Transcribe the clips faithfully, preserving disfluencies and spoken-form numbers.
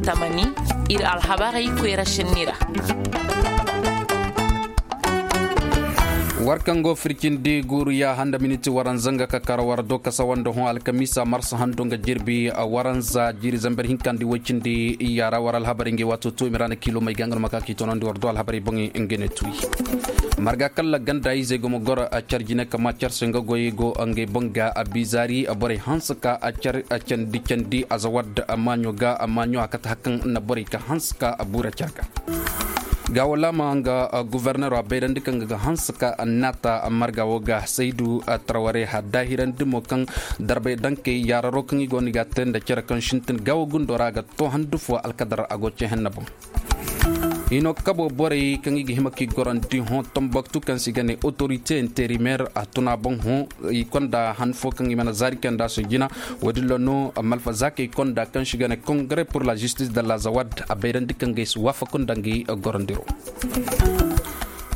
Tamani, ir alhabarey koyra šenni ra. War kaŋ go fircindi guuru ya handa miniti waranza nga ka kar war do kasa wanda hõ alkamiisa marsa hando nga jirbi waranza jiiri zambar hinka nda woy cindi. Yaara war alhabarey ngey waato tuumi ra na kiilo may ga nga no ma ka k'i toonandi war do alhabarey boŋey nga ne tuuyi. Marga kalla ganda izey go ma goro car jine kama car se nga goyey go ngey boŋ ga bizaari borey hanse ka car candi candi azawad maaɲo ga maaɲo a kate hari kaŋ na borey ka hanse ka buura car ga. Gaawo laama nga gofornero a bayrandi kaŋ ga hanse ka naata marga wo ga saydu taraware haddaahirandi mo kaŋ darbay dankey yaararo kaŋ i go no i ga a te nda cere kaŋ sintin gaawo gundo ra a ga to handu fo alkadar a go ce henna boŋ. Hino kabo borey kaŋ i ga hima k'i gorandi hõ tombaktu kaŋ se i ga ne otorite interimer a tun a boŋ hõ. I konda han fo kaŋ i mana zaari kaŋ nda a si jina. Woodin ra no malfa zaakey konda kaŋ se i ga ne kongre pur la zistis de la zawad a bayrandi kaŋ ga ay si waafaku nda ngey gorandiro.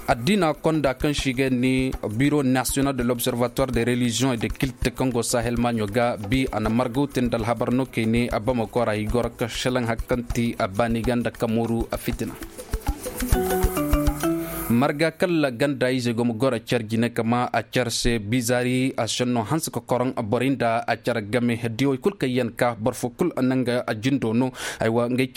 Addiina konda kaŋ se i ga ne biro nasiyonal de l'observatoire de relizion e de kilte kaŋ go sahel maaɲo ga bi a na margaw te nda alhabar no kay ne a bamako ra i goro ka šelaŋ hari kaŋ ti a baani ga nda kamooru a fitina. Marga kalla ganda ize go ma goro car jine kama a car se bizaari a senno hanse ka koroŋ borey nda a car game diyoy kul kaŋ yaŋ ka boro fo kul a naŋ ga a jindo no. Aywa ngey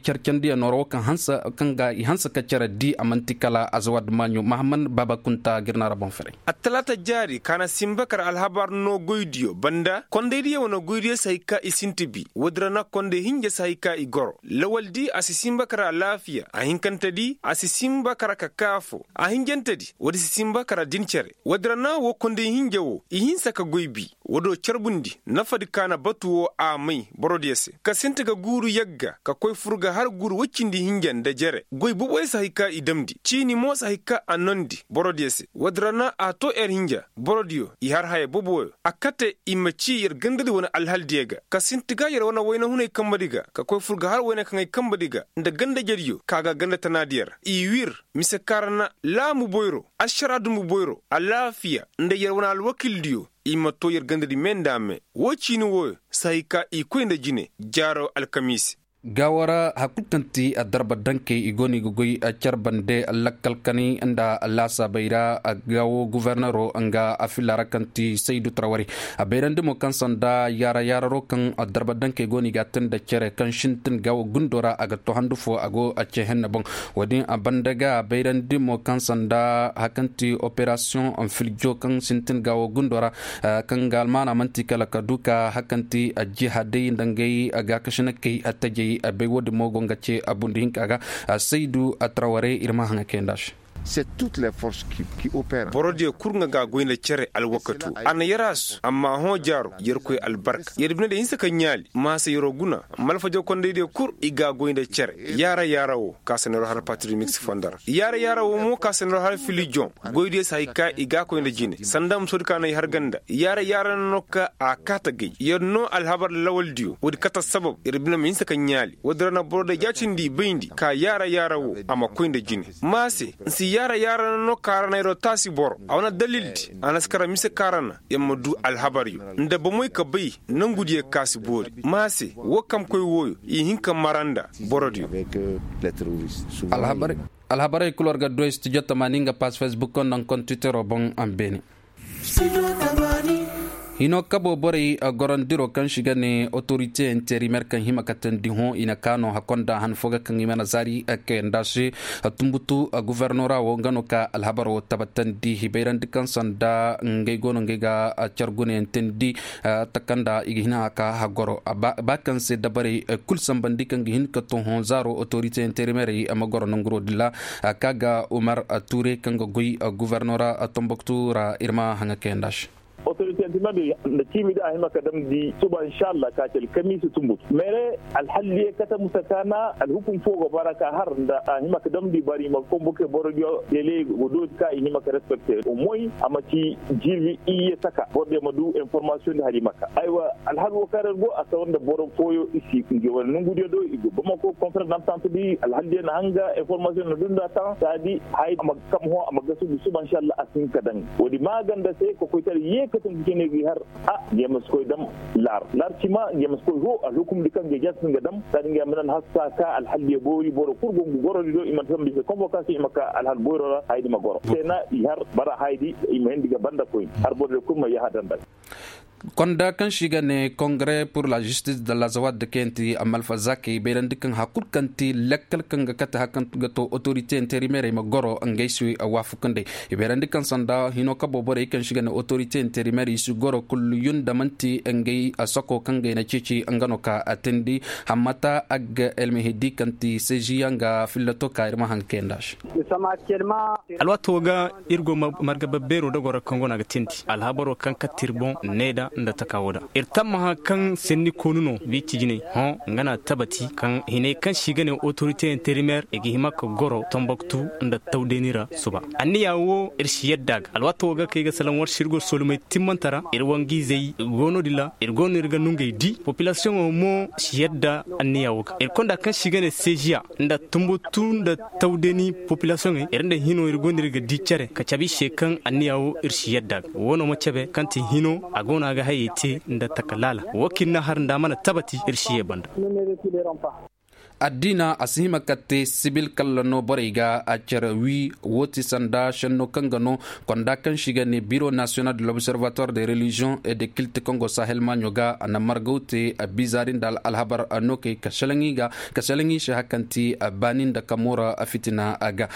car candiyaŋo ra wo kaŋ hanse ka car di a man'ti kala azawad maaɲo mahamman baaba kunta ga ir na ra boŋ ferey. Attalaata jaari ka na simba kar alhabar no goydiyo banda kondaydiyo wane goydiyo si hay ka i sinti bi. Woodin ra na konday hinja si hay ka i goro lawaldi a si simba kar alaafiya a hinkantedi a si simba kar ka kaafo a hinjantedi woodi si simba kar din cere. Woodin ra na wo konday hinja wo i hinsa ka goy bi. Woodoo carbundi nafadi ka na batu wo a may borodiyo se ka sinti ga guuru yagga ka koy fur ga har guuru woy cindi hinja nda jere goy boboyo si hay ka i damndi ciini mo si hay ka a noondi borodiyo se. Woodin ra na a too yer hinja borodiyo i har haya boboyo a kate i ma cii yer gandadi wane alhaldiyo ga ka sinti ga yer wane wayna hunay kambadi ga ka koy fur ga har wayna kaŋay kambadi ga nda gandajediyo ka ga ganda tanaadiyo ra i wir mise ka ra na laamu boyro ašara dumbu boyro alaafiya nda yer wane alwakildiyo i ma too yer gandadi me nda me. Woo ciini wooyo si hay ka i koy nda jine jaaro alkamiisi. Gaawo ra hari kul kaŋ ti darba dankey i go no i ga goy car bande lakkal kanay nda laasaabey ra. Gaawo gofornero nga a filla ra kaŋ ti saydu tarawari a bayrandi mo kaŋ sanda yaara yaararo kaŋ darba dankey go no i ga a te nda cere kaŋ sintin gaawo gundo ra a ga to handu fo a go a ce henne boŋ. Woodin a banda ga a bayrandi mo kaŋ sanda hari kaŋ ti operasiyoŋ filjo kaŋ sintin gaawo gundo ra kaŋ ga almaana man'ti kala ka du ka hari kaŋ ti jihadey nda ngey gaakasinakey tajey bay woodin mo go nga ce a bundi hinka ga. Saydu a taraware ir ma haŋa kayanda se. Borodiyo kul nga ga a goy nda cere alwakatu a na yaraasu amma hõ jaaro yerkoy albarka yer bine da hinsa ka ɲaali maasa yeroo guna malfajo kondaydiyo kul i ga a goy nda cere. Yaara yaara wo ka se neeroo har patrimix fondo ra yaara yaara wo mo ka se neeroo har filijoŋ goydiyo si hay ka i ga a koy nda jine sanda musoodi ka no i har ganda yaara yaara no ka a kaata gay yer no alhabar lawaldiyo woodi kate assabab yer bine ma hinsa ka ɲaali woodi ra na borodiyo jaatindi i bayndi ka yaara yaara wo a ma koy nda jine. Ma se n'si yaara yaara no ka ra na yeroo taasi boro a wane dalildi a na si kara mise ka ra na yer ma du alhabaryo nda bomoy ka bay nongudiyo ka si boori. Ma se woo kamkoy wooyo i hin ka mara nda borodiyo. Alhabarey kul war ga duwey studio tamaani nga paas facebook nda nga kontitero boŋ a ma beene. Hino kabo borey gorandiro kaŋ si ga ne otorite interimer kaŋ hima ka teendi hõ i na kaano hakkonda han fo ga kaŋ i mana zaari kayanda se. Tumbutu guvernora wo nga no ka alhabar wo tabatandi hibayrandi kaŋ sanda ngey go no ngey ga car gunayaŋ teendi. Takanda i ga hin a ka hagoro ba kaŋ se dabarey kul sambandi kaŋ ga hin ka to hõ zaaro otorite interimerey ma goro nanguro dilla. Ka ga umar ture kaŋ ga goy guvernora tomboktu ra ir ma haŋa kayanda se. Otorite nti ma di nda ciimi di a hima ka damndi suba inshallah ka ci alkamiisi tumbutu mere alhalliye kate musa ka na alhukum fo go bara ka har nda a hima ka damndi bari ma konboke borodiyo dele go dooti ka i hima ka respekte omoy a ma ci jirbi iyye saka borodiyo ma du informasiyoŋ di hari maka aywa alhal wo kaŋ ra go a sawa nda boro fooyo i si nge wane nongudiyo do i go bamako konferans dantante di alhalliye na hanga informasiyoŋ na du nda taŋ saadi hay a ma kam hõ a ma gasugu suba inshallah a si hin ka daŋ woodi maaganda se kokoytaray ye. Kaŋ ga cene ga i har a, nga ma si koy dam laar laar cima, nga ma si koy hoo alhukumdi kaŋ ga i jaasi nga dam saadi nga ma nan haska ka alhaldiyo boori boro kul go nga gorodi do i mana sambu i se konbokasiyo i ma ka alhal boyro ra hayadi ma goro se na i har bara hayadi i ma hindi ga banda koyni har borodiyo kul ma yahadanda. Konda kaŋ se i ga ne kongre pur la jistis de la zawad kaŋ yaŋ ti malfa zakey bayrandi kaŋ hari kul kaŋ ti lakkal kaŋ ga kate hari kaŋ ga to otorite interimerey ma goro ngey se waafakandey. I bayrandi kaŋ sanda hino kabo borey kaŋ se i ga ne otorite interimerey i si goro kulliyun da man'ti ngey sako kaŋ ga i na ceeci nga no ka teendi. Hammata agga elmehedi kaŋ ti seeziya nga fillato ka ir ma haŋ kayanda se. Alwaato ga ir go marga babbeero dogoo ra kaŋ go no a ga teendi alhabaro kaŋ katte ir boŋ needa nda taka woo da. Ir tammaha kaŋ senni koonu no biiti jinay hõ nga na tabati kaŋ hinay kaŋ se i ga ne otorite interimer i ga hima ka goro tomboktu nda tawdeeni ra suba. Anniya woo ir si yadda a ga alwaato woo ga kaŋ i ga salaŋ war se ir go solomey timmante ra ir wangiizey go no- din ra ir go no ir ga nungey di popilasiyoŋo mo si yadda anniya woo ga ir konda kaŋ se i ga ne seeziya nda tumbutu nda tawdeeni popilasiyoŋey ir nda hino ir go no ir ga di cere ka cabe i se kaŋ anniya woo ir si yadda a ga woo no ma cabe kaŋ ti hino a go no a ga hayey te nda taka laala woo kaŋ ir na har nda a mana tabati ir si yee banda. Addiina a si hima ka te sibil kalla no borey ga a cere wii woo ti sanda šenno kaŋ ga no konda kaŋ se i ga ne biro nasiyonal de lobservatoire de reliziyoŋ e de kilt kaŋ go sahel maaɲo ga a na margaw te bizaari nda alhabar nookey ka šelaŋ i se hari kaŋ ti baani nda kamoora fitina ga.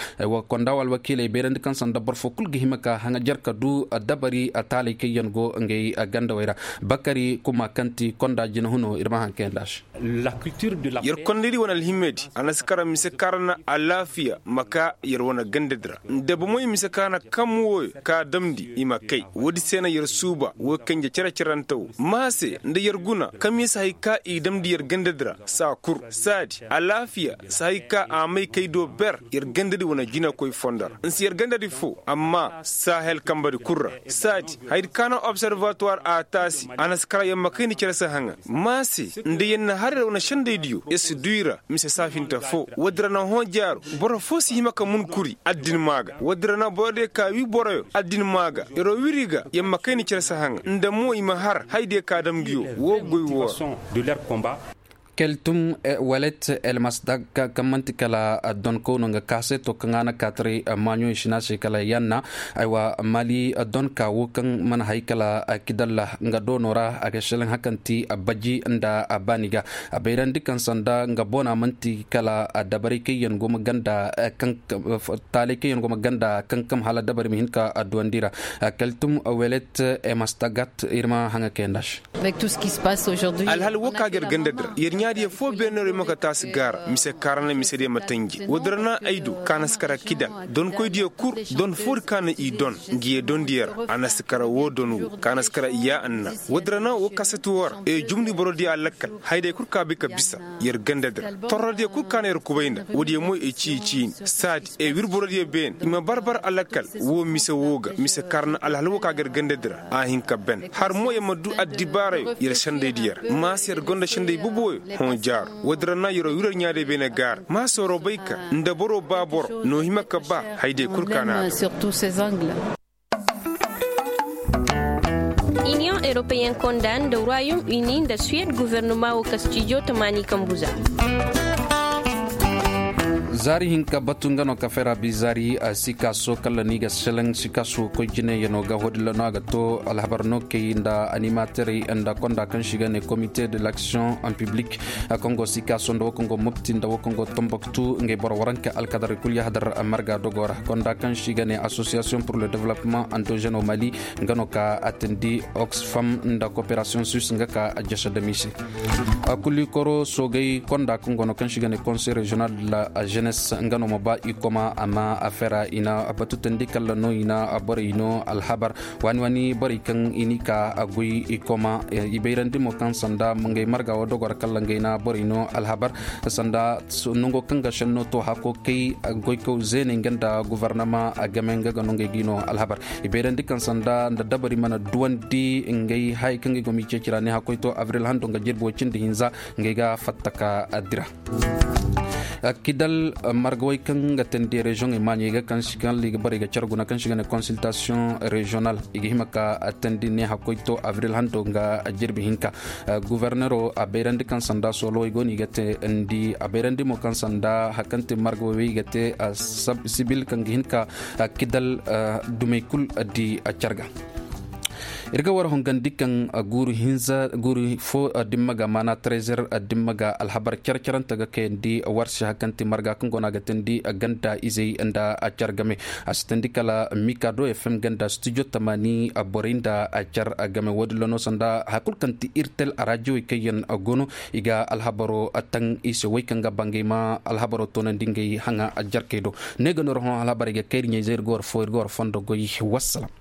Konda wo alwakiiley bayrandi kaŋ sanda boro foo kul ga hima ka haŋajer ka du dabari taalay kaŋ yaŋ go ngey gandawey ra. Bakari kuma kaŋ ti konda jinahunoo ir ma haŋ kayandi a se. Yer kondaydi wane alhimmedi a na si kara mise kaŋ ra na alaafiya ma ka yer wane gandadi ra nda bomoy mise kaŋ ra na kam wooyo ka damndi i ma kay woodi se na yer suuba woo kanje cere-cerante woo ma se nda yer guna kam yer si hay ka i damndi yer gandadi ra saa kur saadi alaafiya si hay ka a may kay do ber yer gandadi wane jinakoy fondo ra nsi yer gandadi foo amma sahel kambadi kul ra saadi hayadi ka na observatuwar a taasi a na si kara yer ma kayndi cere si haŋa ma se nda yer na har yer wane sendaydiyo yer si du i ra mise saafinta foo woodi ra na hõ jaaru boro foo si hima ka mun kuri addin maa ga woodi ra na borodiyo ka wii boroyo addin maa ga yeroo wiri ga yer ma kayndi cere si haŋa nda mo i ma har hayadiyo ka dam nguyo woo goy woo ra. Keltum welet elmasdag kaŋ man'ti kala donkow no nga kaaseto kaŋ a na kaataray maaɲo i si ne a se kala yanna. Aywa mali donka woo kaŋ mana hay kala kidalla nga doono ra a ga selaŋ hari kaŋ ti baji nda baani ga a bayrandi kaŋ sanda nga boona man'ti kala dabaray kaŋ yaŋ go ma ganda kaŋ taalay kaŋ yaŋ go ma ganda kaŋ kam hala dabari ma hin ka duwandi ra. Kaltum welet emastagat ir ma haŋa kayandi a se. Alhal woo ka ga yer ganda di ra yer ɲaadiyo foo beene no yer ma ka taasi gaara mise kaŋ ra na misediyo ma tanji woodi ra na ay du kaŋ a na si kara kida donkoydiyo kul don foodi kaŋ na i don ngiye dondiyo ra a na si kara woo don woo kaŋ a na si kara iyya anna woodi ra na woo kasati woo ra ee jumndi borodiyo a lakkal hayday kul ka bi ka bisa yer ganda di ra torrodiyo kul kaŋ na yer kubay nda woodiyo mo i cii ciini saadi ee wir borodiyo beene i ma bar bar a lakkal woo mise woo ga mise kaŋ ra na alhal woo ka ga yer ganda di ra a hin ka ben har mo yer ma du addibaarayo yer sendaydiyo ra ma se yer gonda senday boboyo hõ jaaru woodi ra na yeroo wir yer ɲaadiyo beene gaara ma se yeroo bay ka nda boroo ba boro noo hima ka ba hayday kul kaŋ na a daw. Iniyoŋ eropeyen konda nda ruwayum ini nda suwed guvernuma wo ka stijo tamaani kambu za. Zaari hinka batu nga no ka fera bi zaari sikaso kala ni ga selaŋ sikaso koy jineyano ga hodilano a ga to alhabar no kay nda animaterey nda konda kaŋ si ga ne comité de l'action en public. Kongo sikaso nda wo kongo mopti nda wo kongo tomboktu ngay boro waranka alkadar kul yahadar marga dogora konda kaŋ si ga ne association pour le développement endogène au mali nga no ka atindi oxfam nda coopération suisse nga ka jasa da mise. Kulikoro sogay konda kaŋ gono kaŋ si ga ne conseil régional de la jeunesse nga no ma ba i koma amma a fera i na batu tandi kala no i na borey no alhabar waani waani borey kaŋ i ni ka goy i koma i bayrandi mo kaŋ sanda ngay marga wo dogor kala ngay na borey no alhabar sanda nongo kaŋ ga senno to hako kay goykaw zeeney nga nda guvernama game nga ga no ngay gi no alhabar i bayrandi kaŋ sanda nda dabari mana duwandi ngay hay kaŋ ga i go ma i ceeci ra ne hakoy to abril hando nga jirbi wo cindi hinza ngay ga fatta ka dira. Kidal margawey kaŋ ga teendi reziyoŋey maaɲey ga kaŋ si kaŋ i ga bar i ga care guna kaŋ si ga ne konsiltasiyoŋ reziyonal, i ga hima ka teendi ne hakkoy to abril hando nga jirbi hinka. Gufornero a bayrandi kaŋ sanda soolowey go no i ga teendi a bayrandi mo kaŋ sanda hari kaŋ te margawey wey i ga te sibil kaŋ ga hin ka kidal dumey kul di care ga. Ir ga war hongandi kaŋ guuru hinza guuru fo dimma ga maana trezer dimma ga alhabar care carante ga kayandi war se hari kaŋ ti marga kaŋ go no a ga teendi ganda izey nda care game. A si teendi kala mikado fm ganda studio tamaani borey nda care game wo- din ra no sanda hari kulu kaŋ ti irtel araajiyowey kaŋ yaŋ go no i ga alhabaro taŋ i se wey kaŋ ga bangay ma alhabaro toonandi ngey haŋa jarkey do. Ne ga no ir hõ alhabarey ga kay ir ɲayzey ir ga war fo ir ga war fondo goy. Wassalam.